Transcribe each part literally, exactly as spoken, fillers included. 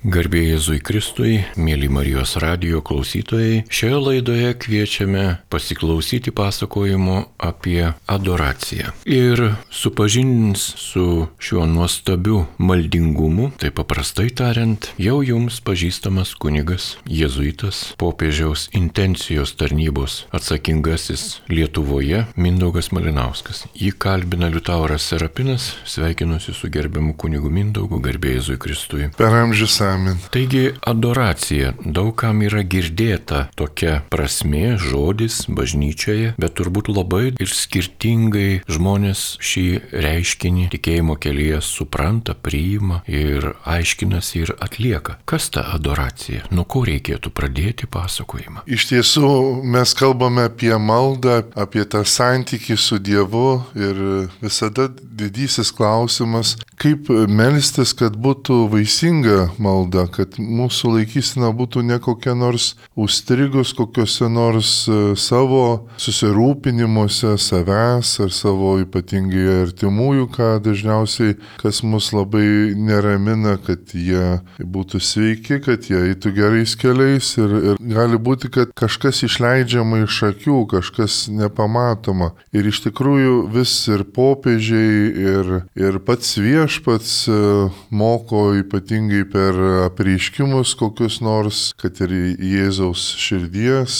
Garbė Jėzui Kristui, mėly Marijos radijo klausytojai, šioje laidoje kviečiame pasiklausyti pasakojimo apie adoraciją. Ir supažindins su šiuo nuostabiu maldingumu, tai paprastai tariant, jau jums pažįstamas kunigas, jėzuitas, popiežiaus intencijos tarnybos atsakingasis Lietuvoje Mindaugas Malinauskas. Jį kalbina Liutauras Serapinas, sveikinusi su gerbiamu kunigu Mindaugu, garbė Jėzui Kristui. Per amžius amen. Taigi adoracija, daugam yra girdėta tokia prasmė, žodis bažnyčioje, bet turbūt labai ir skirtingai žmonės šį reiškinį tikėjimo kelyje supranta, priima ir aiškinasi ir atlieka. Kas ta adoracija? Nuo ko reikėtų pradėti pasakojimą? Iš tiesų mes kalbame apie maldą, apie tą santykį su Dievu ir visada didysis klausimas, kaip melstis, kad būtų vaisinga malda, kad mūsų laikysena būtų ne kokia nors užstrigus kokiuose nors savo susirūpinimuose savęs ar savo ypatingai artimųjų, ką dažniausiai, kas mus labai neramina, kad jie būtų sveiki, kad jie eitų gerais keliais ir, ir gali būti, kad kažkas išleidžiama iš akių, kažkas nepamatoma. Ir iš tikrųjų vis ir popiežiai ir, ir pats viešpats moko ypatingai per apreiškimus kokius nors, kad ir Jėzaus širdies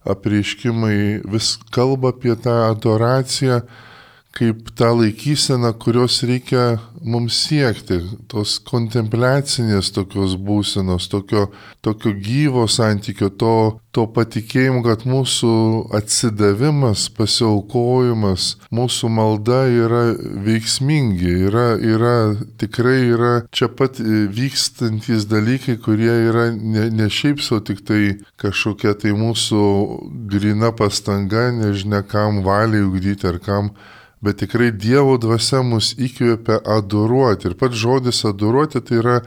apreiškimai vis kalba apie tą adoraciją kaip tą laikyseną, kurios reikia mums siekti, tos kontempliacinės tokios būsenos, tokio, tokio gyvo santykio, to, to patikėjimo, kad mūsų atsidavimas, pasiaukojimas, mūsų malda yra veiksmingi, yra, yra, tikrai yra čia pat vykstantys dalykai, kurie yra ne, ne šiaip sau tik tai kažkokia tai mūsų grina pastanga, nežinia kam valiai ugdyti ar kam, bet tikrai Dievo dvasia mus įkvėpia adoruoti. Ir pats žodis adoruoti tai yra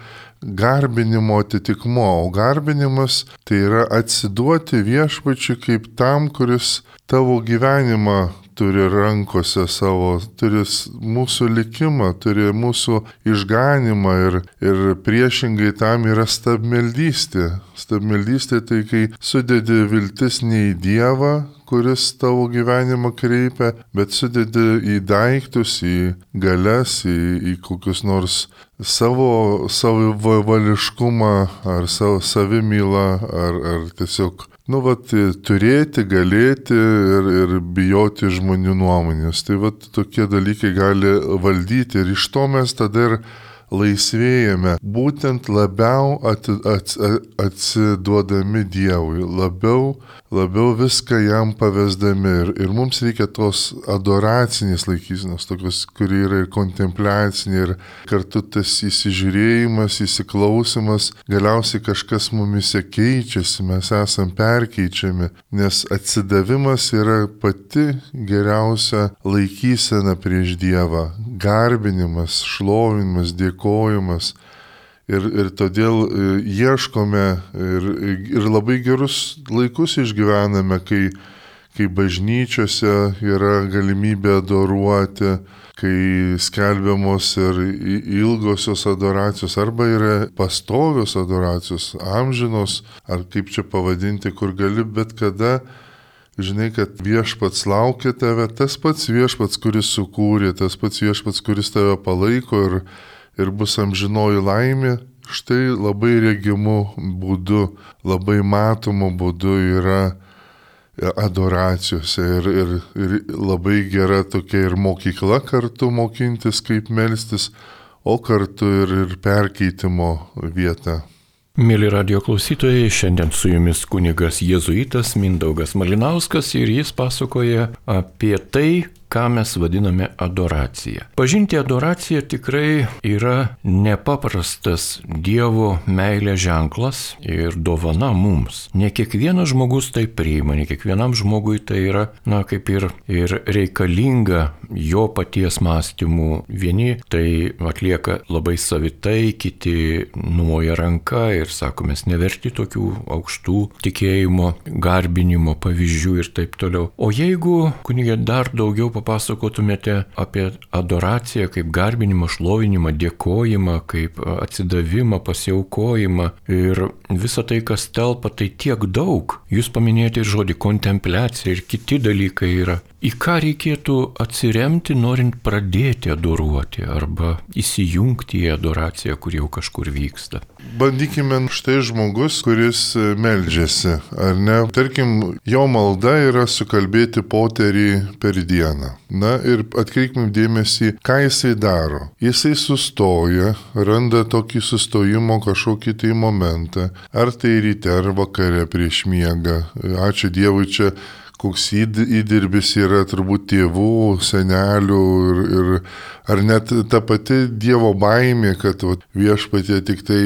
garbinimo atitikmo, o garbinimas tai yra atsiduoti viešpačiui kaip tam, kuris tavo gyvenimą turi rankose savo, turi mūsų likimą, turi mūsų išganimą ir, ir priešingai tam yra stabmeldystė. Stabmeldystė tai kai sudedi viltis ne į Dievą, kuris tavo gyvenimą kreipia, bet sudedi į daiktus, į galias, į, į kokius nors savo savivališkumą ar savo savimylą, ar, ar tiesiog, nu, vat, turėti, galėti ir, ir bijoti žmonių nuomonės. Tai vat, tokie dalykai gali valdyti ir iš to mes tada ir laisvėjame, būtent labiau ati, ats, atsiduodami Dievui, labiau, labiau viską jam pavesdami. Ir, ir mums reikia tos adoracinės laikysenos, tokios, kuri yra ir kontempliacinė, ir kartu tas įsižiūrėjimas, įsiklausimas, galiausiai kažkas mumise keičiasi, mes esam perkeičiami, nes atsidavimas yra pati geriausia laikysena prieš Dievą, garbinimas, šlovinimas, dėkojimas. Kojimas. Ir, ir todėl ieškome ir, ir labai gerus laikus išgyvename, kai, kai bažnyčiose yra galimybė adoruoti, kai skelbiamos ir ilgosios adoracijos, arba yra pastovios adoracijos, amžinos, ar kaip čia pavadinti, kur gali bet kada, žinai, kad viešpats laukia tave, tas pats viešpats, kuris sukūrė, tas pats viešpats, kuris tave palaiko ir ir bus amžinoji laimė, štai labai regimu būdu, labai matomu būdu yra adoracijose ir, ir, ir labai gera tokia ir mokykla kartu mokintis, kaip melstis, o kartu ir, ir perkeitimo vieta. Mėly radijo klausytojai, šiandien su jumis kunigas jėzuitas Mindaugas Malinauskas ir jis pasakoja apie tai, ką mes vadiname adoracija. Pažinti adoraciją tikrai yra nepaprastas Dievo meilės ženklas ir dovana mums. Ne kiekvienas žmogus tai priima, ne kiekvienam žmogui tai yra, na, kaip ir, ir reikalinga jo paties mąstymų. Vieni tai atlieka labai savitai, kiti numoja ranką ir sako, mes neverti tokių aukštų tikėjimo, garbinimo pavyzdžių ir taip toliau. O jeigu, kunigė, dar daugiau papasakotumėte apie adoraciją kaip garbinimą, šlovinimą, dėkojimą, kaip atsidavimą, pasiaukojimą ir visą tai, kas telpa, tai tiek daug. Jūs paminėjote ir žodį kontempliacija ir kiti dalykai yra. Į ką reikėtų atsiremti, norint pradėti adoruoti arba įsijungti į adoraciją, kur jau kažkur vyksta? Bandykime, štai žmogus, kuris meldžiasi, ar ne? Tarkim, jo malda yra sukalbėti poterį per dieną. Na ir atkreipkim dėmesį, ką jisai daro. Jisai sustoja, randa tokį sustojimo kažkokį tai momentą, ar tai ryte, ar vakare prieš miegą. Ačiū Dievui, čia koks įdirbis yra turbūt tėvų, senelių ir, ir ar net ta pati Dievo baimė, kad vat, viešpatie tik tai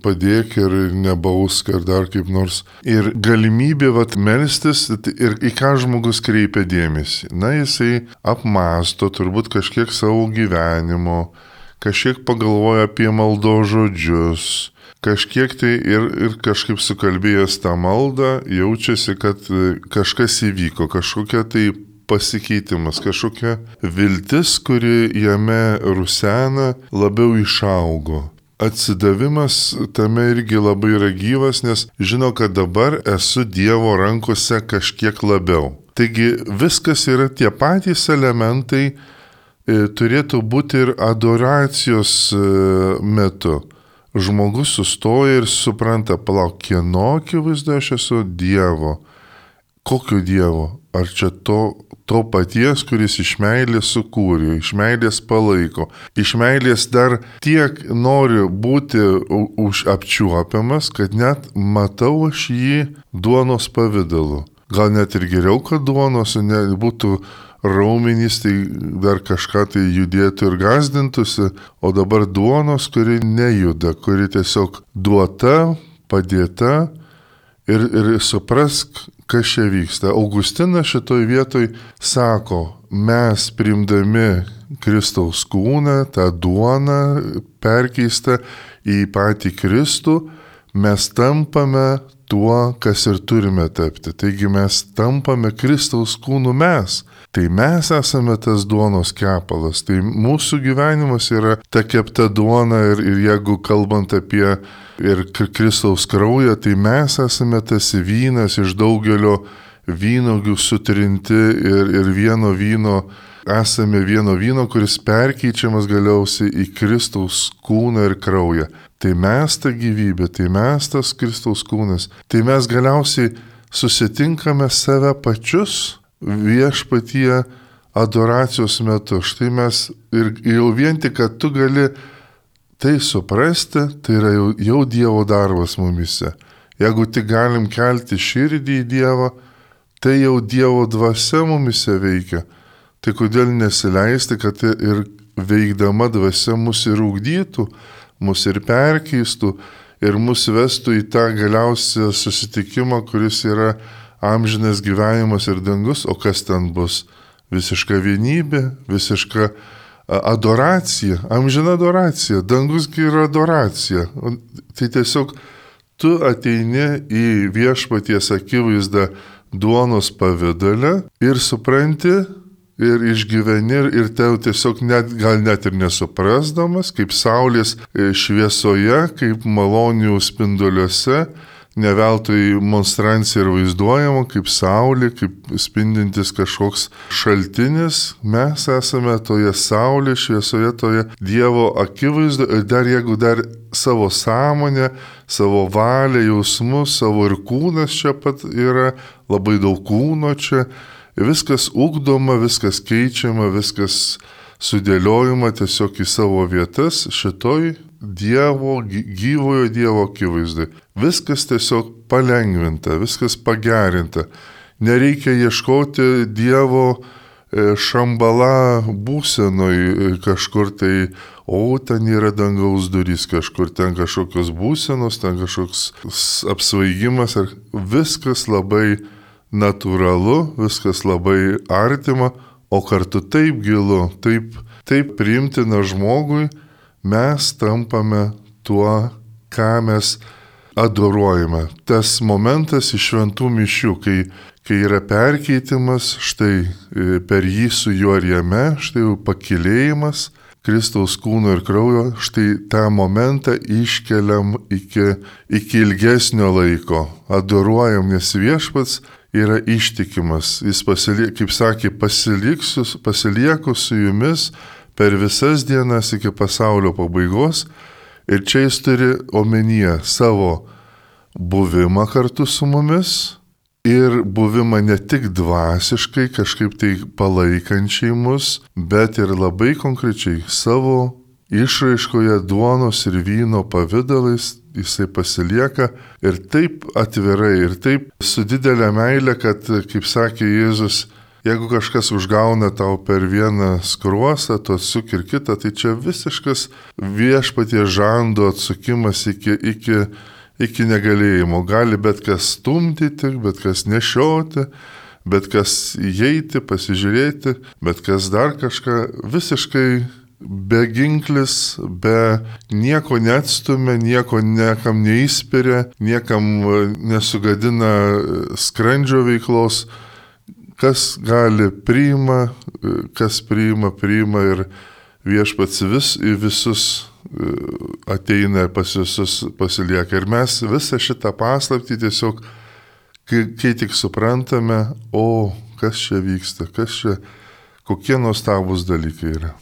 padėk ir nebausk ar dar kaip nors. Ir galimybė vat, melstis ir į ką žmogus kreipia dėmesį. Na, jisai apmąsto turbūt kažkiek savo gyvenimo, kažkiek pagalvoja apie maldos žodžius. Kažkiek tai ir, ir kažkaip sukalbėjęs tą maldą, jaučiasi, kad kažkas įvyko, kažkokia tai pasikeitimas, kažkokia viltis, kuri jame rusena, labiau išaugo. Atsidavimas tame irgi labai yra gyvas, nes žino, kad dabar esu Dievo rankose kažkiek labiau. Taigi viskas yra tie patys elementai, e, turėtų būti ir adoracijos e, metu. Žmogus sustoja ir supranta, palauk, kieno akivaizdoje aš esu? Dievo. Kokio Dievo? Ar čia to, to paties, kuris iš meilės sukūrė, iš meilės palaiko, iš meilės dar tiek nori būti už apčiuopiamas, kad net matau aš jį duonos pavidalu. Gal net ir geriau, kad duonos nebūtų raumenys, tai dar kažką tai judėtų ir gazdintųsi, o dabar duonos, kuri nejuda, kuri tiesiog duota, padėta ir, ir suprask, kas čia vyksta. Augustinas šitoj vietoj sako, mes priimdami Kristaus kūną, tą duoną perkeistą į patį Kristų, mes tampame tuo, kas ir turime tapti. Taigi mes tampame Kristaus kūnu mes. Tai mes esame tas duonos kepalas. Tai mūsų gyvenimas yra ta kepta duona ir, ir jeigu kalbant apie ir Kristaus kraują, tai mes esame tas vynas iš daugelio vynogių sutrinti ir, ir vieno vyno, esame vieno vyno, kuris perkeičiamas galiausiai į Kristaus kūną ir kraują. Tai mes ta gyvybė, tai mes tas Kristaus kūnas, tai mes galiausiai susitinkame save pačius viešpatie adoracijos metu. Štai mes ir jau vien tik, kad tu gali tai suprasti, tai yra jau, jau Dievo darbas mumise. Jeigu tik galim kelti širdį į Dievą, tai jau Dievo dvasia mumise veikia. Tai kodėl nesileisti, kad ir veikdama dvasia mus ir ugdytų, mus ir perkeistų ir mus vestų į tą galiausią susitikimą, kuris yra amžinas gyvenimas ir dangus, o kas ten bus? Visiška vienybė, visiška adoracija, amžina adoracija, dangusgi yra adoracija. Tai tiesiog tu ateini į viešpaties akivaizdą duonos pavidale ir supranti, ir išgyveni, ir tau tiesiog net, gal net ir nesuprasdamas, kaip saulės šviesoje, kaip malonių spinduliuose, ne veltui monstrancija ir vaizduojama, kaip saulė, kaip spindintis kažkoks šaltinis, mes esame toje saulės šviesoje, toje Dievo akivaizdoje, ir dar jeigu dar savo sąmonę, savo valią, jausmus, savo ir kūnas čia pat yra, labai daug kūno čia, viskas ugdoma, viskas keičiama, viskas sudėliojama tiesiog į savo vietas šitoj Dievo, gyvojo Dievo akivaizdai. Viskas tiesiog palengvinta, viskas pagerinta. Nereikia ieškoti Dievo šambala būsenoj kažkur tai, o ten yra dangaus durys kažkur, ten kažkokios būsenos, ten kažkoks apsvaigimas. Viskas labai natūralu, viskas labai artima, o kartu taip gilu, taip, taip priimtina žmogui, mes tampame tuo, ką mes adoruojame. Tas momentas iš šventų mišių, kai, kai yra perkeitimas, štai per jį su juo ir jame, štai jau pakilėjimas Kristaus kūno ir kraujo, štai tą momentą iškeliam iki, iki ilgesnio laiko, adoruojam, nes viešpats yra ištikimas. Jis, pasilie, kaip sakė, pasilieku su jumis per visas dienas iki pasaulio pabaigos. Ir čia jis turi omenyje savo buvimą kartu su mumis ir buvimą ne tik dvasiškai, kažkaip tai palaikančiai mus, bet ir labai konkrečiai savo išraiškoje duonos ir vyno pavydalais jisai pasilieka ir taip atvirai, ir taip su didelė meilė, kad, kaip sakė Jėzus, jeigu kažkas užgauna tau per vieną skruostą, tu atsuk ir kitą, tai čia visiškas viešpaties žando atsukimas iki, iki, iki negalėjimo. Gali bet kas stumdyti, bet kas nešioti, bet kas įeiti, pasižiūrėti, bet kas dar kažką visiškai be ginklis, be nieko neatstumia, nieko niekam neįspiria, niekam nesugadina skrandžio veiklos. Kas gali priima, kas priima, priima ir viešpats vis į visus ateina, pas visus pasilieka. Ir mes visą šitą paslaptį tiesiog, kai, kai tik suprantame, o kas čia vyksta, kas čia, kokie nuostabūs dalykai yra.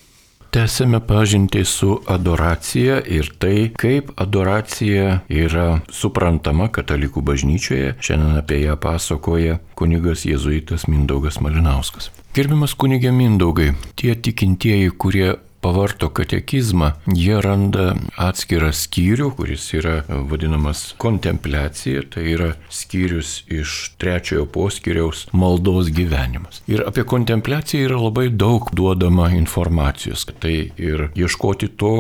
Tęsėme pažintį su adoracija ir tai, kaip adoracija yra suprantama katalikų bažnyčioje. Šiandien apie ją pasakoja kunigas jėzuitas Mindaugas Malinauskas. Gerbiamas kunige Mindaugai, tie tikintieji, kurie pavarto katekizmą, jie randa atskirą skyrių, kuris yra vadinamas kontempliacija, tai yra skyrius iš trečiojo poskyriaus maldos gyvenimas. Ir apie kontempliaciją yra labai daug duodama informacijos. Tai ir ieškoti to,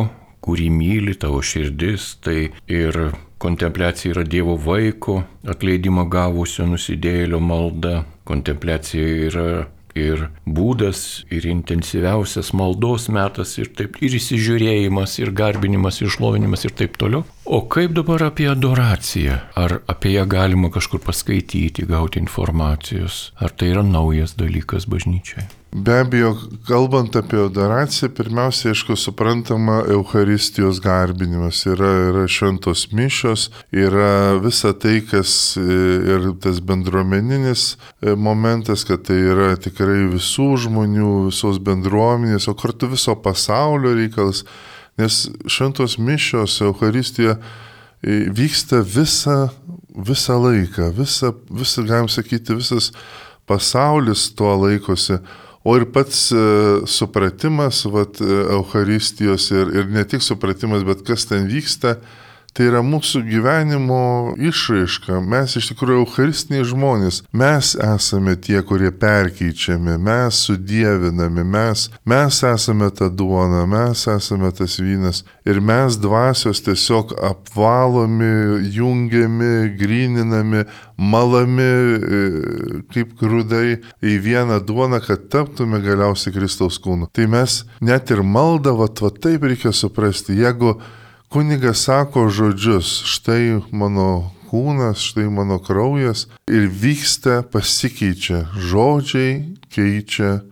kurį myli tavo širdis, tai ir kontempliacija yra Dievo vaiko atleidimą gavusio nusidėjėlio malda, kontempliacija yra ir būdas, ir intensyviausias maldos metas, ir taip, ir įsižiūrėjimas, ir garbinimas, ir šlovinimas, ir taip toliau. O kaip dabar apie adoraciją? Ar apie ją galima kažkur paskaityti, gauti informacijos? Ar tai yra naujas dalykas bažnyčiai? Be abejo, kalbant apie adoraciją, pirmiausia, aišku, suprantama Eucharistijos garbinimas. Yra, yra šventos mišios, yra visa tai, kas ir tas bendruomeninis momentas, kad tai yra tikrai visų žmonių, visos bendruomenės, o kartu viso pasaulio reikalas. Nes šventos mišios, Eucharistija vyksta visą, visą laiką, visą, visą, galim sakyti, visas pasaulis tuo laikosi. O ir pats e, supratimas, vat, Eucharistijos ir, ir ne tik supratimas, bet kas ten vyksta, tai yra mūsų gyvenimo išraiška. Mes iš tikrųjų eucharistiniai žmonės. Mes esame tie, kurie perkeičiami, mes sudievinami, mes, mes esame ta duona, mes esame tas vynas. Ir mes dvasios tiesiog apvalomi, jungiami, gryninami, malami kaip grūdai į vieną duoną, kad taptume galiausiai Kristaus kūnu. Tai mes net ir maldą, va, va taip reikia suprasti. Jeigu kunigas sako žodžius, štai mano kūnas, štai mano kraujas, ir vyksta, pasikeičia. Žodžiai keičia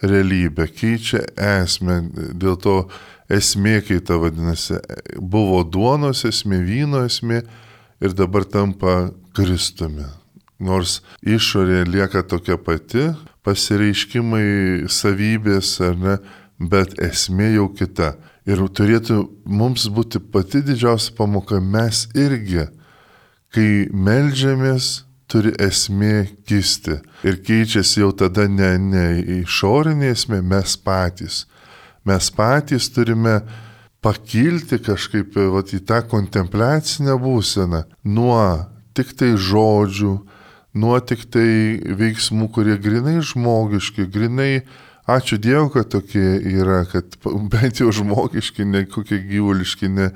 realybę, keičia esmę. Dėl to esmė keita vadinasi. Buvo duonos esmė, vyno esmė ir dabar tampa Kristumi. Nors išorė lieka tokia pati, pasireiškimai, savybės, ar ne, bet esmė jau kita. Ir turėtų mums būti pati didžiausia pamoka, mes irgi, kai meldžiamės, turi esmė kisti. Ir keičiasi jau tada ne, ne išorinė esmė, mes patys. Mes patys turime pakilti kažkaip vat, į tą kontempliacinę būseną nuo tik tai žodžių, nuo tik tai veiksmų, kurie grinai žmogiški, grinai ačiū Dievui, kad tokie yra, kad bent jau žmogiški, ne kokie gyvuliški, ne.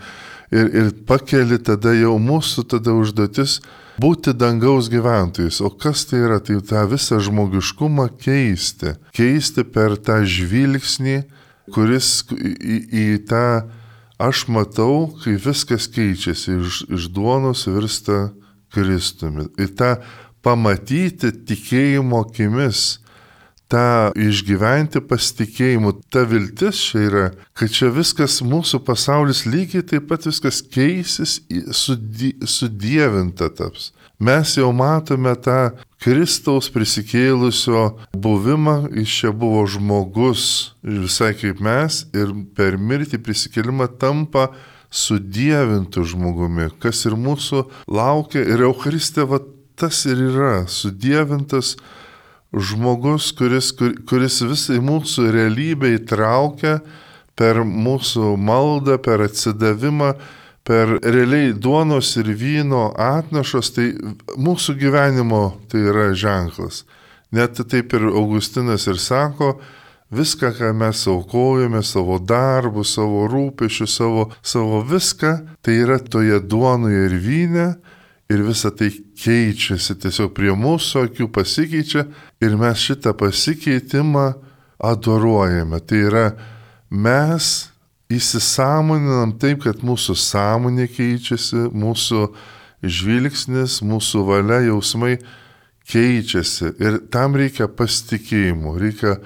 Ir, ir pakeli tada jau mūsų tada užduotis būti dangaus gyventojais. O kas tai yra? Tai tą visą žmogiškumą keisti. Keisti per tą žvilgsnį, kuris į, į tą aš matau, kai viskas keičiasi, iš, iš duonos virsta Kristumi. Ir tą pamatyti tikėjimo akimis, tą išgyventi pasitikėjimu, ta viltis čia yra, kad čia viskas, mūsų pasaulis lygiai taip pat viskas keisis, sudie, sudievinta taps. Mes jau matome tą Kristaus prisikėlusio buvimą, jis čia buvo žmogus, visai kaip mes, ir per mirtį prisikėlimą tampa sudievintų žmogumi, kas ir mūsų laukia. Ir Eucharistija, va, tas ir yra, sudievintas žmogus, kuris, kur, kuris visai mūsų realybę įtraukia per mūsų maldą, per atsidavimą, per realiai duonos ir vyno atnašos, tai mūsų gyvenimo tai yra ženklas. Net taip ir Augustinas ir sako, viską, ką mes aukojame, savo darbų, savo rūpešių, savo, savo viską, tai yra toje duonoje ir vyne, ir visa tai keičiasi, tiesiog prie mūsų akių pasikeičia, ir mes šitą pasikeitimą adoruojame. Tai yra mes įsisąmoninam taip, kad mūsų sąmonė keičiasi, mūsų žvilgsnis, mūsų valia, jausmai keičiasi. Ir tam reikia pasitikėjimo, reikia,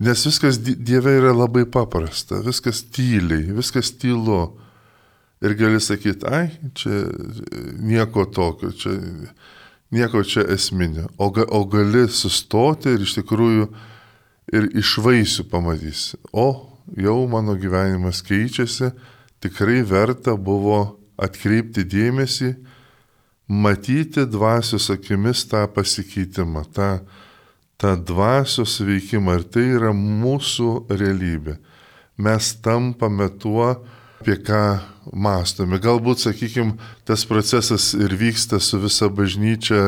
nes viskas Dieve yra labai paprasta, viskas tyliai, viskas tylu. Ir gali sakyti, ai, čia nieko tokio, čia, nieko čia esminio. O, ga, o gali sustoti ir iš tikrųjų ir iš vaisių pamatysi. O, jau mano gyvenimas keičiasi, tikrai verta buvo atkreipti dėmesį, matyti dvasios akimis tą pasikeitimą, tą, tą dvasios veikimą. Ir tai yra mūsų realybė. Mes tampame tuo, apie ką mąstome. Galbūt, sakykime, tas procesas ir vyksta su visa bažnyčia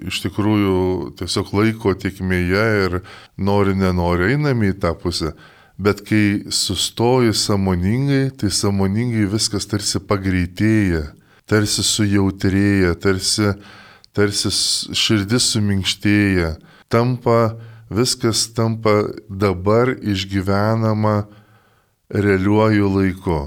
iš tikrųjų tiesiog laiko tėkmėje ir nori, nenori einame į tą pusę. Bet kai sustoji sąmoningai, tai sąmoningai viskas tarsi pagreitėja, tarsi sujautrėja, tarsi, tarsi širdis suminkštėja. Tampa, viskas tampa dabar išgyvenama realiuoju laiku.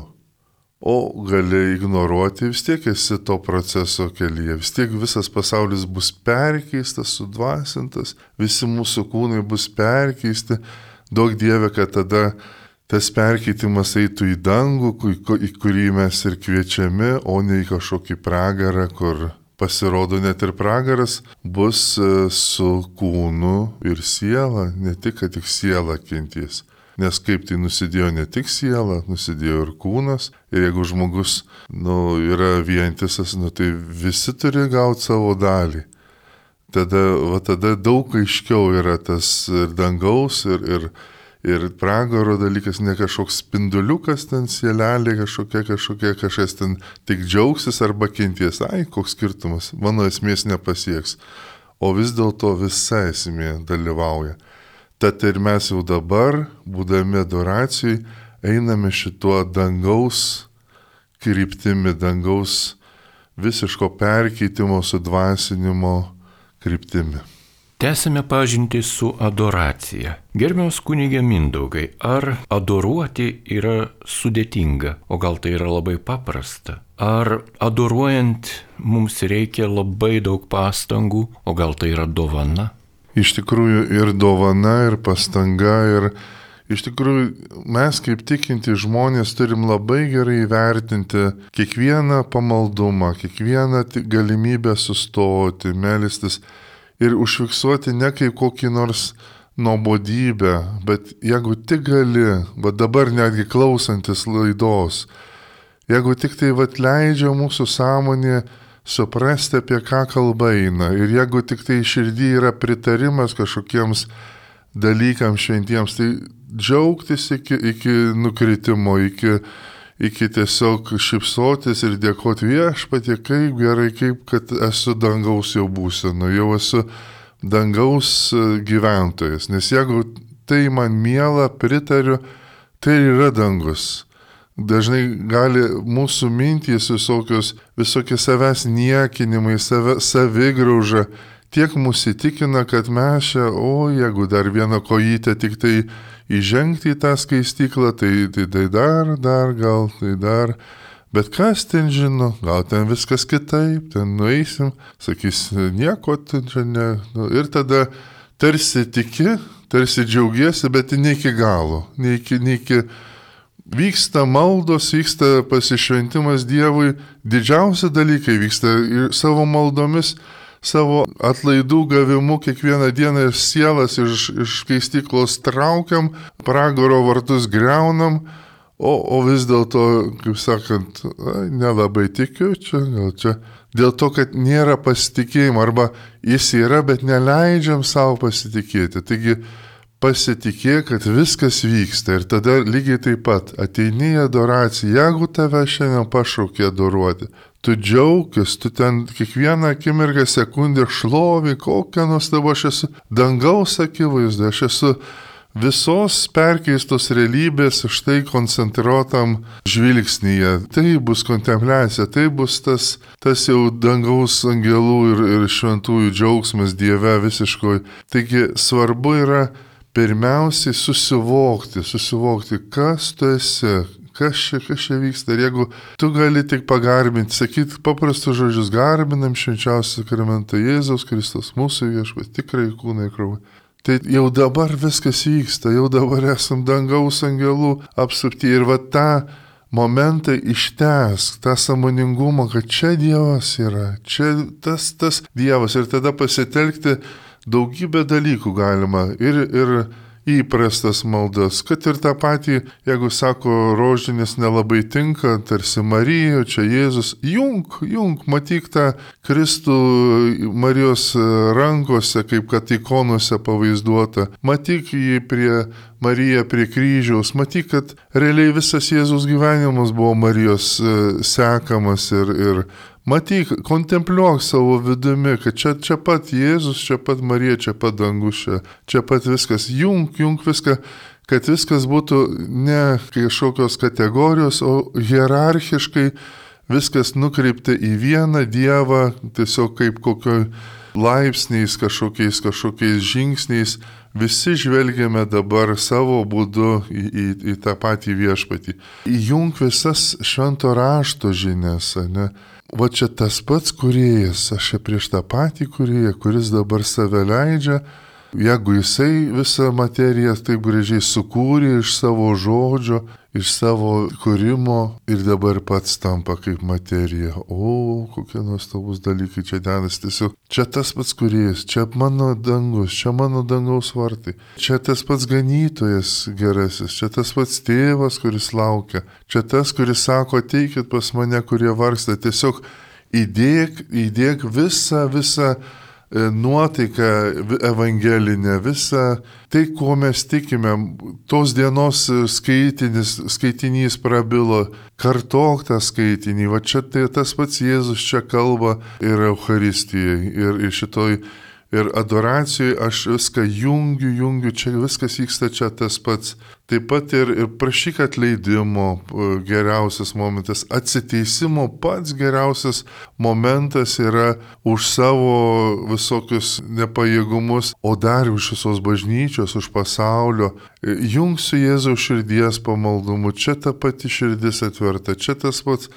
O gali ignoruoti, vis tiek esi to proceso kelyje, vis tiek visas pasaulis bus perkeistas, sudvasintas, visi mūsų kūnai bus perkeisti. Daug Dieve, kad tada tas perkeitimas eitų į dangų, į kurį mes ir kviečiami, o ne į kažkokį pragarą, kur pasirodo net ir pragaras bus su kūnu ir siela, ne tik, kad tik siela kentės. Nes kaip tai nusidėjo ne tik siela, nusidėjo ir kūnas. Ir jeigu žmogus nu, yra vientisas, nu, tai visi turi gauti savo dalį. Tada, va, tada daug aiškiau yra tas ir dangaus, ir, ir, ir pragaro dalykas, ne kažkoks spinduliukas ten sielelė, kažkokia, kažkokia, kažkas ten tik džiaugsis arba kenties. Ai, koks skirtumas, mano esmės nepasieks. O vis dėlto visa esmė dalyvauja. Tad ir mes jau dabar, būdami adoracijai, einame šituo dangaus kryptimi, dangaus visiško perkeitimo, sudvasinimo kryptimi. Tęsime pažintį su adoracija. Gerbiamas kunige Mindaugai, ar adoruoti yra sudėtinga, o gal tai yra labai paprasta? Ar adoruojant mums reikia labai daug pastangų, o gal tai yra dovana? Iš tikrųjų ir dovana, ir pastanga, ir iš tikrųjų mes kaip tikinti žmonės turim labai gerai įvertinti kiekvieną pamaldumą, kiekvieną galimybę sustoti, melstis ir užfiksuoti ne kaip kokį nors nuobodybę, bet jeigu tik gali, va dabar netgi klausantis laidos, jeigu tik tai va leidžia mūsų sąmonė suprasti, apie ką kalba eina, ir jeigu tik tai širdį yra pritarimas kažkokiems dalykams šventiems, tai džiaugtis iki, iki nukritimo, iki, iki tiesiog šypsotis ir dėkoti Viešpatie, kaip gerai, kaip kad esu dangaus jau būsenu, jau esu dangaus gyventojas. Nes jeigu tai man miela, pritariu, tai yra dangus. Dažnai gali mūsų mintys visokios, visokie savęs niekinimai, save, savigrauža, tiek mūsų įtikina, kad mes čia, o jeigu dar vieną kojytę tik tai įžengti į tą skaistyklą, tai, tai, tai dar, dar, gal tai dar. Bet kas ten žino, gal ten viskas kitaip, ten nueisim, sakys, nieko ten čia ne. Ir tada tarsi tiki, tarsi džiaugiesi, bet ne iki galo, ne iki, ne iki vyksta maldos, vyksta pasišventimas Dievui, didžiausi dalykai vyksta ir savo maldomis, savo atlaidų gavimu kiekvieną dieną ir sielas iš, iš skaistyklos traukiam, pragaro vartus greunam, o, o vis dėlto, kaip sakant, nelabai tikiu čia, gal čia. Dėl to, kad nėra pasitikėjimo, arba jis yra, bet neleidžiam savo pasitikėti. Taigi, pasitikėk, kad viskas vyksta ir tada lygiai taip pat ateini į adoraciją, jeigu tave šiandien pašaukė adoruoti, tu džiaugis, tu ten kiekvieną akimirką sekundę šlovį, kokią nuostabą aš esu dangaus akivaizdu, aš esu visos perkeistos realybės štai koncentruotam žvilgsnyje. Tai bus kontempliacija, tai bus tas, tas jau dangaus angelų ir, ir šventųjų džiaugsmas Dieve visiškoj. Taigi svarbu yra pirmiausiai susivokti, susivokti, kas tu esi, kas čia, kas čia vyksta. Ir jeigu tu gali tik pagarbinti, sakyti paprastus žodžius, garbinam švenčiausią sakramentą Jėzaus Kristus, mūsų viešpats, tikrai kūnai krauja. Tai jau dabar viskas vyksta, jau dabar esam dangaus angelų apsupti ir va tą momentą ištęsk, tą sąmoningumą, kad čia Dievas yra, čia tas, tas Dievas ir tada pasitelkti daugybę dalykų galima ir, ir įprastas maldas, kad ir tą patį, jeigu sako, rožinis nelabai tinka, tarsi Marija, čia Jėzus, jung, jung, matyk tą Kristų Marijos rankose, kaip kad ikonuose pavaizduota, matyk jį prie Mariją prie kryžiaus, matyk, kad realiai visas Jėzus gyvenimas buvo Marijos sekamas ir, ir matyk, kontempliuok savo vidumi, kad čia, čia pat Jėzus, čia pat Marija, čia pat dangus, čia, čia pat viskas, jung, jung viską, kad viskas būtų ne kažkokios kategorijos, o hierarchiškai viskas nukreipta į vieną Dievą, tiesiog kaip kokio laipsniais, kažkokiais, kažkokiais žingsniais, visi žvelgiame dabar savo būdu į, į, į tą patį viešpatį. Įjung visas švento rašto žinias, ne? Va čia tas pats kūrėjas, aš čia prieš tą patį kūrėją, kuris dabar save leidžia, jeigu jisai visą materiją taip gražiai sukūrė iš savo žodžio, iš savo kūrimo ir dabar pats tampa kaip materija. O, kokie nuostabus dalykai čia dedas. Tiesiog čia tas pats kūrėjas, čia mano dangus, čia mano dangaus vartai, čia tas pats ganytojas gerasis, čia tas pats tėvas, kuris laukia, čia tas, kuris sako, ateikit pas mane, kurie vargsta. Tiesiog įdėk, įdėk visą, visą nuotaiką evangelinę, visą tai, ko mes tikime, tos dienos skaitinis, skaitinys prabilo, kartok tą skaitinį, va čia tai tas pats Jėzus čia kalba ir Eucharistijai, ir, ir šitoj, ir adoracijoje aš viską jungiu, jungiu, čia viskas vyksta čia tas pats. Taip pat ir, ir prašyk atleidimo geriausias momentas, atsiteisimo pats geriausias momentas yra už savo visokius nepajėgumus, o dar už visos bažnyčios, už pasaulio. Jungsiu Jėzaus širdies pamaldumu, čia ta pati širdis atverta, čia tas pats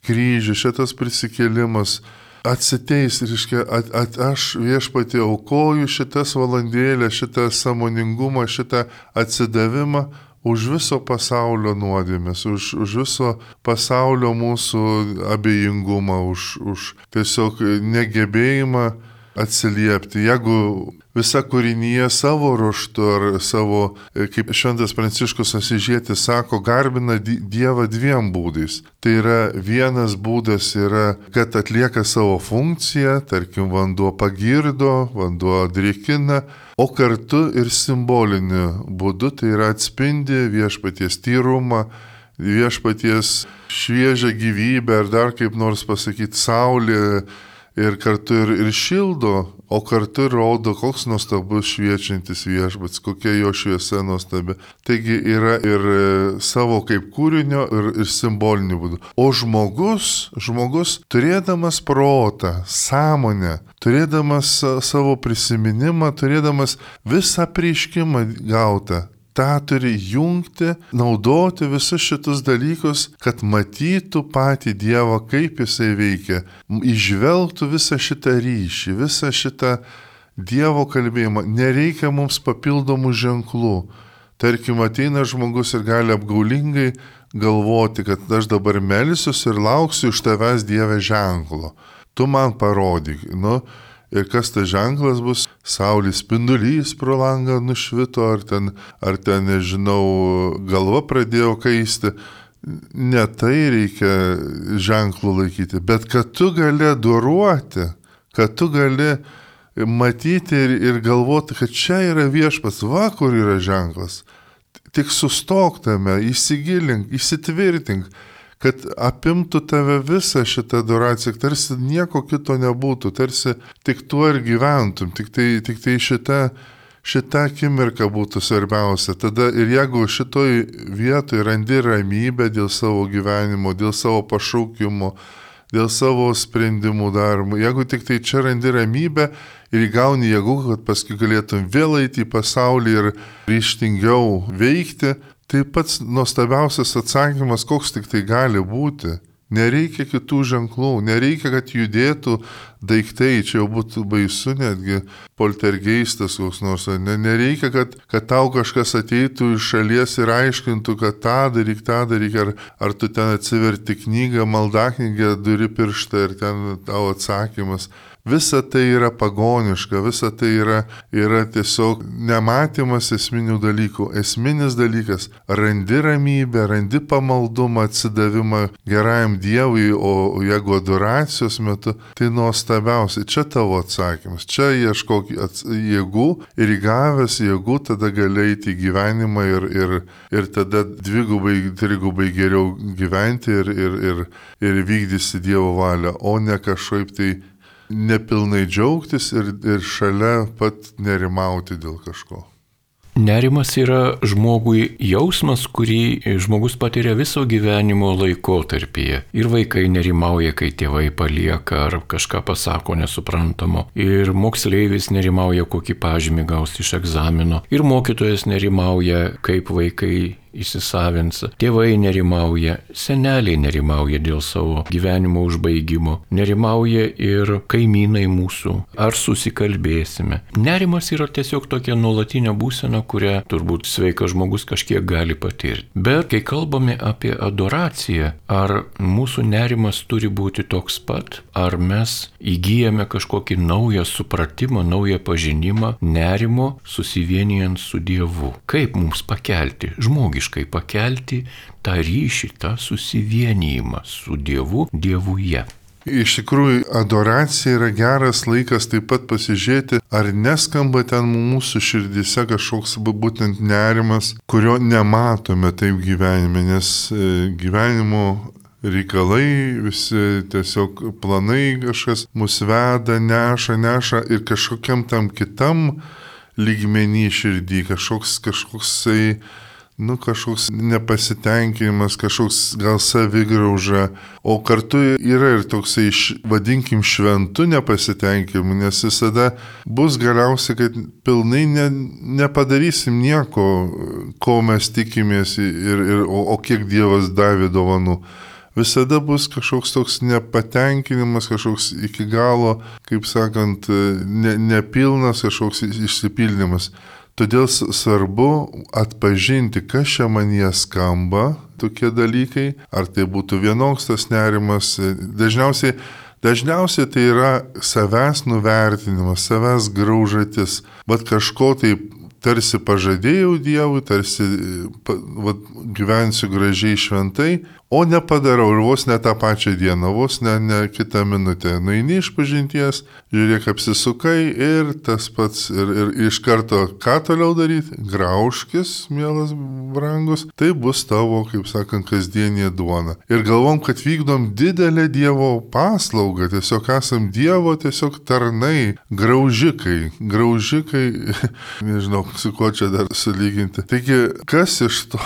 kryžius, čia tas prisikėlimas. Atsiteis, reiškia, at, at, aš viešpatie aukoju šitas valandėlės, šitą sąmoningumą, šitą atsidavimą už viso pasaulio nuodėmės, už, už viso pasaulio mūsų abejingumą, už, už tiesiog negebėjimą atsiliepti. Jeigu visa kūrinyje savo ruožtu ar savo, kaip šventas Pranciškus Asyžietis sako, garbina Dievą dviem būdais. Tai yra vienas būdas yra, kad atlieka savo funkciją, tarkim, vanduo pagirdo, vanduo drėkina, o kartu ir simboliniu būdu, tai yra atspindi viešpaties tyrumą, viešpaties šviežią gyvybę, ar dar kaip nors pasakyti, saulė, ir kartu ir, ir šildo, o kartu ir rodo, koks nuostabus šviečiantis viešpats, kokia jo šviesa nuostabi. Taigi yra ir savo kaip kūrinio, ir, ir simbolinių būdų. O žmogus, žmogus turėdamas protą, sąmonę, turėdamas savo prisiminimą, turėdamas visą apreiškimą gautą, tą turi jungti, naudoti visus šitus dalykus, kad matytų patį Dievą, kaip jisai veikia, įžvelgtų visą šitą ryšį, visą šitą Dievo kalbėjimą. Nereikia mums papildomų ženklų. Tarkim, ateina žmogus ir gali apgaulingai galvoti, kad aš dabar melsiuosi ir lauksiu iš tavęs Dieve ženklo. Tu man parodyk. Nu, ir kas tas ženklas bus? Saulės spindulys pro langą nušvito, ar ten, ar ten, nežinau, galva pradėjo kaisti. Ne tai reikia ženklų laikyti, bet kad tu gali adoruoti, kad tu gali matyti ir, ir galvoti, kad čia yra viešpats, va kur yra ženklas. Tik sustok tame, įsigilink, įsitvirtink, kad apimtų tave visą šitą adoraciją, tarsi nieko kito nebūtų, tarsi tik tuo ir gyventum, tik tai, tik tai šita, šita akimirka būtų svarbiausia. Tada ir jeigu šitoj vietoj randi ramybę dėl savo gyvenimo, dėl savo pašaukimo, dėl savo sprendimų darbo, jeigu tik tai čia randi ramybę ir įgauni jėgų, kad paskui galėtum vėl eiti į pasaulį ir ryžtingiau veikti, tai pats nuostabiausias atsakymas, koks tik tai gali būti. Nereikia kitų ženklų, nereikia, kad judėtų daiktai, čia jau būtų baisu netgi poltergeistas koks nors. Nereikia, kad, kad tau kažkas ateitų iš šalies ir aiškintų, kad tą daryk, tą daryk, ar, ar tu ten atsiverti knygą, maldaknygę, duri pirštą ir ten tau atsakymas. Visa tai yra pagoniška, visa tai yra, yra tiesiog nematymas esminių dalykų. Esminis dalykas - randi ramybę, randi pamaldumą, atsidavimą gerajam Dievui, o jeigu adoracijos metu, tai nuostabiausia. Čia tavo atsakymas, čia ieškok jėgų ir įgavęs jėgų tada gali eiti į gyvenimą ir, ir, ir tada dvigubai, trigubai geriau gyventi ir, ir, ir, ir vykdysi Dievo valią, o ne kažkaip tai nepilnai džiaugtis ir, ir šalia pat nerimauti dėl kažko. Nerimas yra žmogui jausmas, kurį žmogus patiria viso gyvenimo laikotarpyje. Ir vaikai nerimauja, kai tėvai palieka ar kažką pasako nesuprantamo. Ir moksleivis nerimauja, kokį pažymį gaus iš egzamino. Ir mokytojas nerimauja, kaip vaikai įsisavins. Tėvai nerimauja, seneliai nerimauja dėl savo gyvenimo užbaigimo. Nerimauja ir kaimynai mūsų. Ar susikalbėsime? Nerimas yra tiesiog tokia nuolatinė būsena, kurią turbūt sveikas žmogus kažkiek gali patirti. Bet kai kalbame apie adoraciją, ar mūsų nerimas turi būti toks pat, ar mes įgyjame kažkokį naują supratimą, naują pažinimą nerimo susivienijant su Dievu. Kaip mums pakelti, žmogiškai pakelti tą ryšį, tą susivienijimą su Dievu, Dievuje? Iš tikrųjų, adoracija yra geras laikas taip pat pasižiūrėti, ar neskamba ten mūsų širdise kažkoks būtent nerimas, kurio nematome taip gyvenime, nes gyvenimo reikalai, visi tiesiog planai kažkas mus veda, neša, neša ir kažkokiam tam kitam lygmenį širdį, kažkoks kažkoksai nu, kažkoks nepasitenkinimas, kažkoks gal savigrauža, o kartu yra ir toksai, vadinkim, šventų nepasitenkinimu, nes visada bus galiausiai, kad pilnai ne, nepadarysim nieko, ko mes tikimės, ir, ir, o, o kiek Dievas davė dovanų. Visada bus kažkoks toks nepatenkinimas, kažkoks iki galo, kaip sakant, ne, nepilnas kažkoks išsipildymas. Todėl svarbu atpažinti, kas čia manyje skamba, tokie dalykai, ar tai būtų vienoks tas nerimas. Dažniausiai, dažniausiai tai yra savęs nuvertinimas, savęs graužatis, bet kažko tai tarsi pažadėjau Dievui, tarsi va, gyvensiu gražiai šventai, o nepadarau ir vos ne tą pačią dieną, vos ne, ne kitą minutę. Nueini iš pažinties, žiūrėk, apsisukai ir tas pats, ir, ir iš karto ką toliau daryti? Graužkis, mielas brangus, tai bus tavo, kaip sakant, kasdienė duona. Ir galvom, kad vykdom didelę Dievo paslaugą, tiesiog esam Dievo tiesiog tarnai, graužikai, graužikai, nežinau, su kuo čia dar sulyginti. Taigi, kas iš to?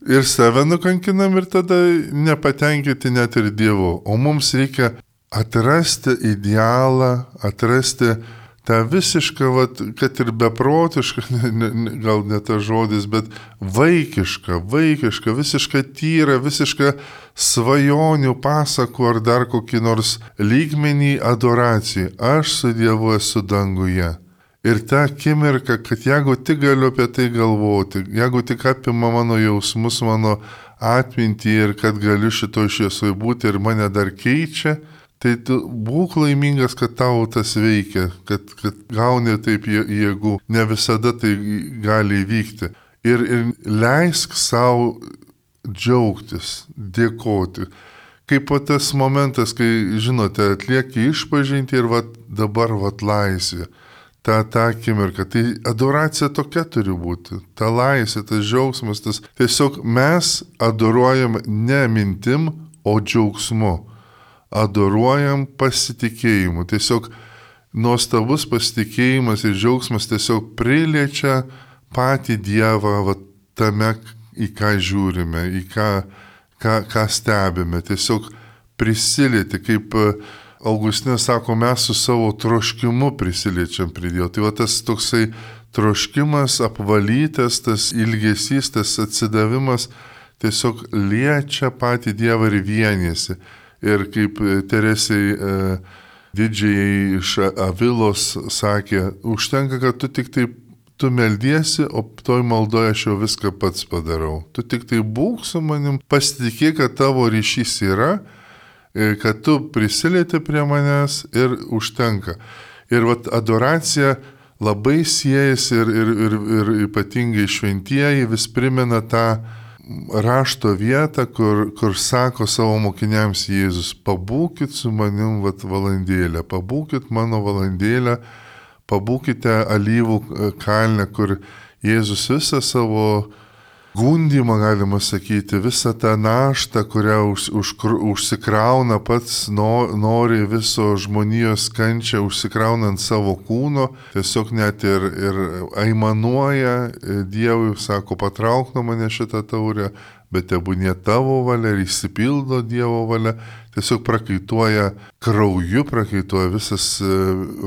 Ir save nukankinam ir tada nepatenkinti net ir Dievu. O mums reikia atrasti idealą, atrasti tą visišką, vat, kad ir beprotišką, ne, ne, gal ne tas žodis, bet vaikišką, vaikišką, visišką tyrą, visišką svajonių pasakų ar dar kokį nors lygmenį adoracijai. Aš su Dievu esu danguje. Ir ta akimirka, kad jeigu tik galiu apie tai galvoti, jeigu tik apima mano jausmus, mano atmintį ir kad galiu šito šviesoj būti ir mane dar keičia, tai tu būk laimingas, kad tau tas veikia, kad, kad gauni taip jėgų. Ne visada tai gali įvykti. Ir, ir leisk savo džiaugtis, dėkoti. Kaip po tas momentas, kai, žinote, atlieki išpažinti ir vat, dabar vat laisvė. Ta, ta akimirka. Tai adoracija tokia turi būti. Ta laisvė, tas džiaugsmas, tas tiesiog mes adoruojam ne mintim, o džiaugsmu. Adoruojam pasitikėjimu. Tiesiog nuostabus pasitikėjimas ir džiaugsmas tiesiog priliečia patį Dievą va, tame, į ką žiūrime, į ką, ką, ką stebime. Tiesiog prisilieti, kaip Augustinas sako, mes su savo troškimu prisiliečiam prie Dievo. Tai va tas toksai troškimas, apvalytas, tas ilgesys, tas atsidavimas tiesiog liečia patį Dievą ir vienėsi. Ir kaip Teresei e, didžiai iš Avilos sakė, užtenka, kad tu tik taip, tu meldiesi, o toj maldoje aš jau viską pats padarau. Tu tik tai būk su manim, pasitikėk, kad tavo ryšys yra, kad tu prisilieti prie manęs ir užtenka. Ir vat adoracija labai siejasi ir, ir, ir, ir ypatingai šventieji vis primena tą rašto vietą, kur, kur sako savo mokiniams Jėzus, pabūkit su manim vat valandėlę, pabūkit mano valandėlę, pabūkite alyvų kalne, kur Jėzus visą savo gundymą, galima sakyti, visą tą naštą, kurią už, už, užsikrauna pats, no, nori viso žmonijos kančią užsikraunant savo kūno, tiesiog net ir, ir aimanuoja Dievui, sako, patrauk nuo mane šitą taurę, bet tebūnie tavo valia ir išsipildo Dievo valia, tiesiog prakaituoja krauju, prakaituoja visas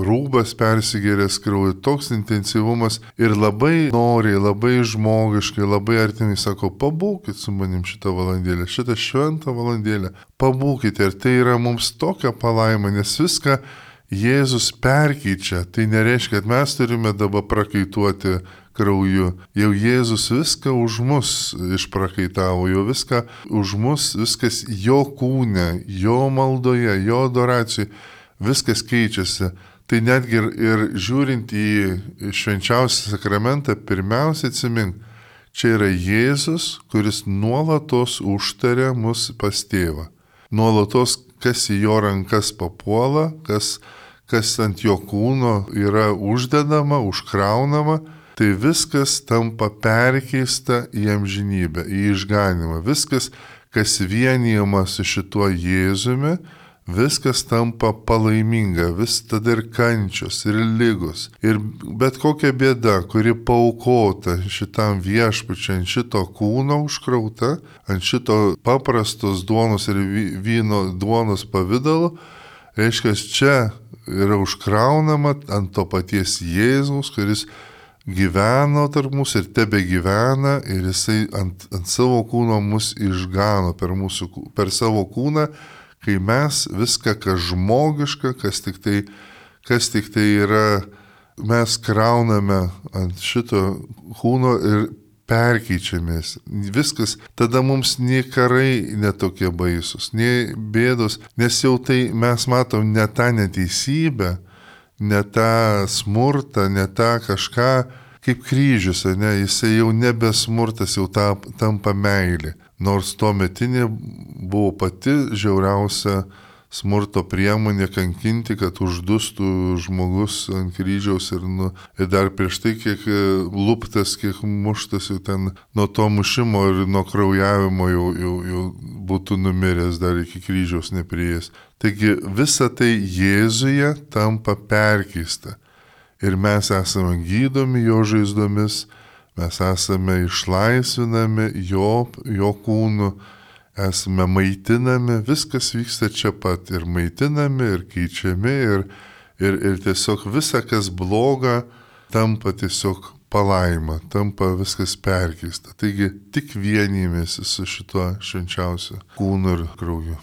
rūbas persigėręs krauju, toks intensyvumas ir labai noriai, labai žmogiškai, labai artimai sako, pabūkit su manim šitą valandėlę, šitą šventą valandėlę, pabūkite ir tai yra mums tokia palaima, nes viską Jėzus perkeičia, tai nereiškia, kad mes turime dabar prakaituoti krauju. Jau Jėzus viską už mus išprakaitavo, jau viską už mus, viskas jo kūne, jo maldoje, jo adoracijai, viskas keičiasi. Tai netgi ir, ir žiūrint į švenčiausią sakramentą, pirmiausia atsimink, čia yra Jėzus, kuris nuolatos užtaria mus pas tėvą. Nuolatos, kas į jo rankas papuola, kas, kas ant jo kūno yra uždedama, užkraunama, tai viskas tampa perkeista į amžinybę, į išganimą. Viskas, kas vienijama su šituo Jėzumi, viskas tampa palaiminga, vis tada ir kančios, ir ligos, ir bet kokia bėda, kuri paaukota šitam viešpačiui, ant šito kūno užkrauta, ant šito paprastos duonos ir vyno duonos pavidalo, reiškia, čia yra užkraunama ant to paties Jėzaus, kuris gyveno tarp mūsų ir tebe gyvena ir jisai ant, ant savo kūno mus išgano per, mūsų, per savo kūną, kai mes viską, kas žmogiška, kas tik tai, kas tik tai yra, mes krauname ant šito kūno ir perkeičiamės. Viskas, tada mums nei karai netokie baisus, nei bėdos, nes jau tai mes matom ne tą neteisybę, ne tą smurtą, ne tą kažką, kaip kryžius, ne, jisai jau nebe smurtas, jau ta, tampa meilė. nors tuo metinė buvo pati žiauriausia smurto priemonė kankinti, kad uždustų žmogus ant kryžiaus ir, nu, ir dar prieš tai kiek luptas, kiek muštas jau ten nuo to mušimo ir nuo kraujavimo jau, jau, jau būtų numiręs dar iki kryžiaus neprieėjęs. Taigi visa tai Jėzuje tampa perkeista ir mes esame gydomi jo žaizdomis, mes esame išlaisvinami jo, jo kūnu, esame maitinami, viskas vyksta čia pat ir maitinami, ir keičiami, ir, ir, ir tiesiog visa, kas bloga, tampa tiesiog palaima, tampa viskas perkeista. Taigi tik vienymės su šituo švenčiausiu kūnu ir krauju.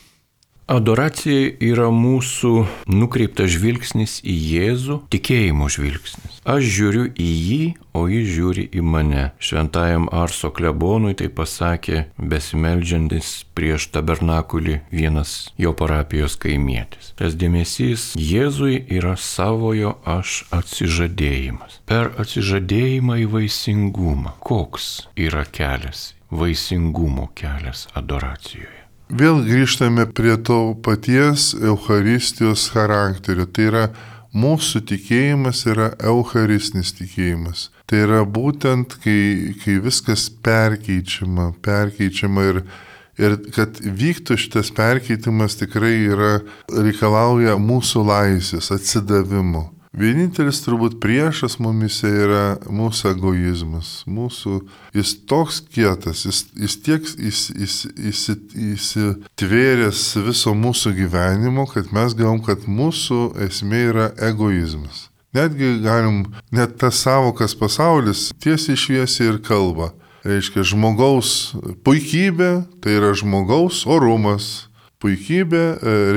Adoracija yra mūsų nukreiptas žvilgsnis į Jėzų, tikėjimo žvilgsnis. Aš žiūriu į jį, o jis žiūri į mane. Šventajam Arso klebonui tai pasakė besimeldžiantis prieš tabernakulį vienas jo parapijos kaimietis. Tas dėmesys Jėzui yra savojo aš atsižadėjimas. Per atsižadėjimą į vaisingumą. Koks yra kelias, vaisingumo kelias adoracijoje? Vėl grįžtame prie to paties Eucharistijos charakterio. Tai yra mūsų tikėjimas yra eucharistinis tikėjimas. Tai yra būtent, kai, kai viskas perkeičiama, perkeičiama ir, ir kad vyktų šitas perkeitimas tikrai yra, reikalauja mūsų laisvės, atsidavimo. Vienintelis turbūt priešas mumise yra mūsų egoizmas. Mūsų, jis toks kietas, jis, jis tiek įsitvėręs viso mūsų gyvenimo, kad mes galvom, kad mūsų esmė yra egoizmas. Netgi galim, net tas savokas pasaulis tiesiai šviesiai ir kalba. Reiškia, žmogaus puikybė, tai yra žmogaus orumas. Puikybė,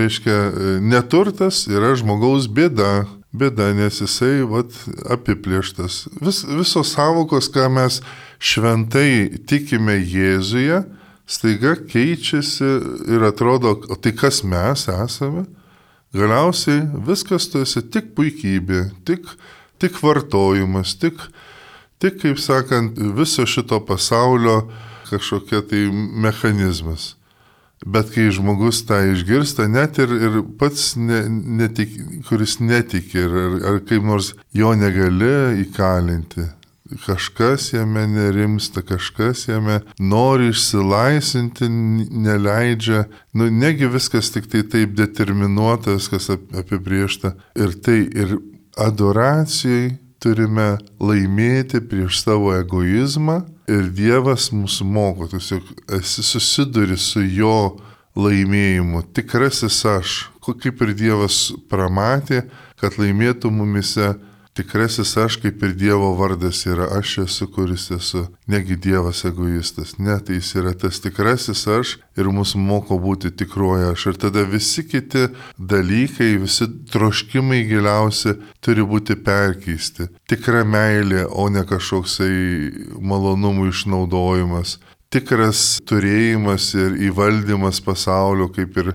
reiškia, neturtas yra žmogaus bėda. Bėda, nes jisai vat, apiplėštas. Vis, visos savokos, ką mes šventai tikime Jėzuje, staiga keičiasi ir atrodo, o tai kas mes esame? Galiausiai viskas tu esi tik puikybė, tik, tik vartojimas, tik, tik, kaip sakant, viso šito pasaulio kažkokia tai mechanizmas. Bet kai žmogus tą išgirsta, net ir, ir pats, ne, netik, kuris netiki, ar, ar kaip nors jo negali įkalinti, kažkas jame nerimsta, kažkas jame nori išsilaisvinti, neleidžia, nu negi viskas tik tai taip determinuota, viskas apibriešta. Ir tai ir adoracijai turime laimėti prieš savo egoizmą. Ir Dievas mūsų moko, tiesiog esi susiduri su jo laimėjimu, tikrasis aš, kaip ir Dievas pramatė, kad laimėtų mumise, tikrasis aš, kaip ir Dievo vardas yra, aš esu, kuris esu, negi Dievas egoistas, ne, tai jis yra tas tikrasis aš ir mūsų moko būti tikroji aš. Ir tada visi kiti dalykai, visi troškimai giliausi turi būti perkeisti. Tikra meilė, o ne kažkoksai malonumų išnaudojimas. Tikras turėjimas ir įvaldymas pasaulio, kaip ir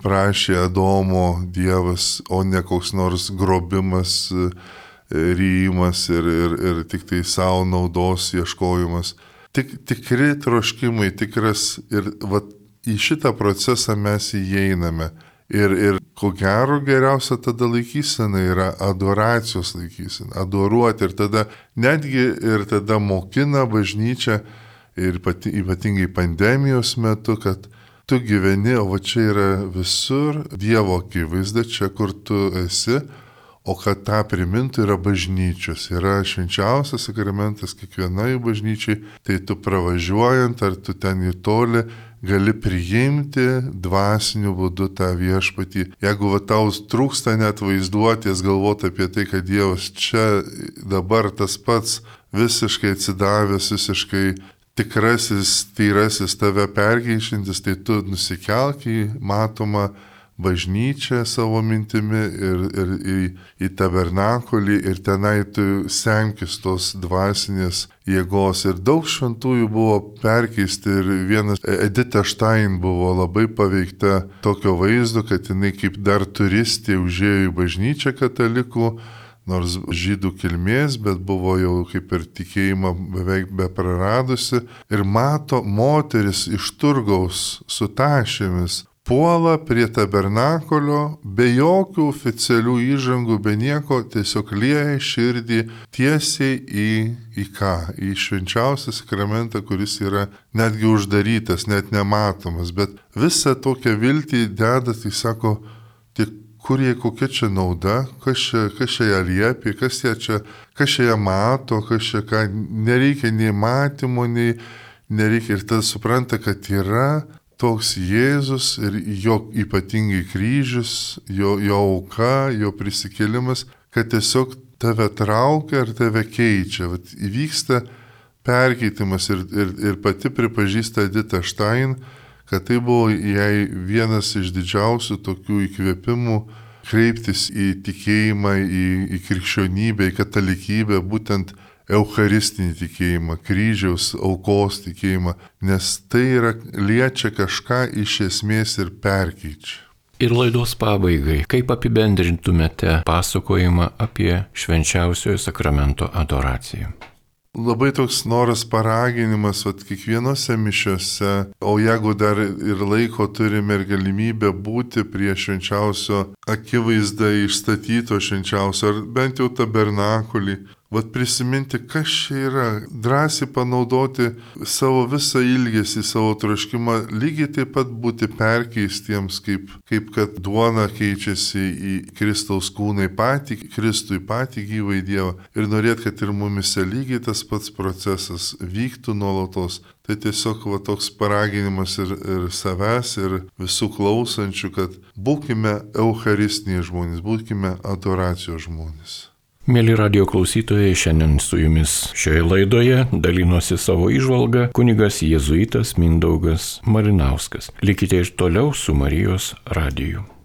prašė Adomo Dievas, o ne koks nors grobimas, ryjimas ir, ir, ir tik tai savo naudos ieškojimas. Tik, tikri troškimai, tikras ir va, į šitą procesą mes įeiname. Ir, ir ko gero geriausia tada laikysena yra adoracijos laikysena, adoruoti ir tada netgi ir tada mokina bažnyčia ir pati, ypatingai pandemijos metu, kad tu gyveni, o va čia yra visur Dievo akivaizda, čia kur tu esi, o kad tą primintų yra bažnyčios, yra švenčiausias sakramentas kiekvienai bažnyčiai, tai tu pravažiuojant ar tu ten į tolį gali priimti dvasiniu būdu tą viešpatį. Jeigu va tau trūksta net vaizduotės galvoti apie tai, kad Dievas čia dabar tas pats visiškai atsidavęs, visiškai tikrasis, tyrasis tave perkeičiantis, tai tu nusikelk į matomą bažnyčią savo mintimi ir, ir į, į tabernakulį ir tenai tu semkis tos dvasinės jėgos. Ir daug šventųjų buvo perkeisti ir vienas Edita Štain buvo labai paveikta tokio vaizdo, kad jinai kaip dar turistė užėjo į bažnyčią katalikų, nors žydų kilmės, bet buvo jau kaip ir tikėjimą beveik be praradusi, ir mato moteris iš turgaus su tašėmis puola prie tabernakulio, be jokių oficialių įžangų, be nieko, tiesiog lieja širdį tiesiai į, į ką? Į švenčiausią sakramentą, kuris yra netgi uždarytas, net nematomas, bet visą tokią viltį deda, tai sako, tik kur jie, kokia čia nauda, kas čia, kas čia ją liepia, kas ją čia, kas čia ją mato, kas čia ką, nereikia nei matymo, nei nereikia, ir tada supranta, kad yra toks Jėzus ir jo ypatingai kryžius, jo, jo auka, jo prisikėlimas, kad tiesiog tave traukia ir tave keičia. Vat įvyksta perkeitimas ir, ir, ir pati pripažįsta Edita Štain, kad tai buvo jai vienas iš didžiausių tokių įkvėpimų kreiptis į tikėjimą, į, į krikščionybę, į katalikybę, būtent eucharistinį tikėjimą, kryžiaus aukos tikėjimą, nes tai yra liečia kažką iš esmės ir perkeičia. Ir laidos pabaigai, kaip apibendrintumėte pasakojimą apie švenčiausiojo sakramento adoraciją? Labai toks noras paraginimas, vat kiekvienose mišiose, o jeigu dar ir laiko turime ir galimybę būti prie švenčiausio akivaizdą išstatyto švenčiausio, ar bent jau tabernakulį, vat prisiminti, kas čia yra, drąsiai panaudoti savo visą ilgesį, savo troškimą, lygiai taip pat būti perkeistiems, kaip, kaip kad duona keičiasi į Kristaus kūną, į patį Kristų, į patį gyvąjį Dievą. Ir norėt, kad ir mumise lygiai tas pats procesas vyktų nuolatos. Tai tiesiog va, toks paraginimas ir, ir savęs, ir visų klausančių, kad būkime eucharistiniai žmonės, būkime adoracijos žmonės. Mėly radio klausytojai, šiandien su jumis šioje laidoje dalinosi savo įžvalgą kunigas jėzuitas Mindaugas Malinauskas. Likite ir toliau su Marijos radiju.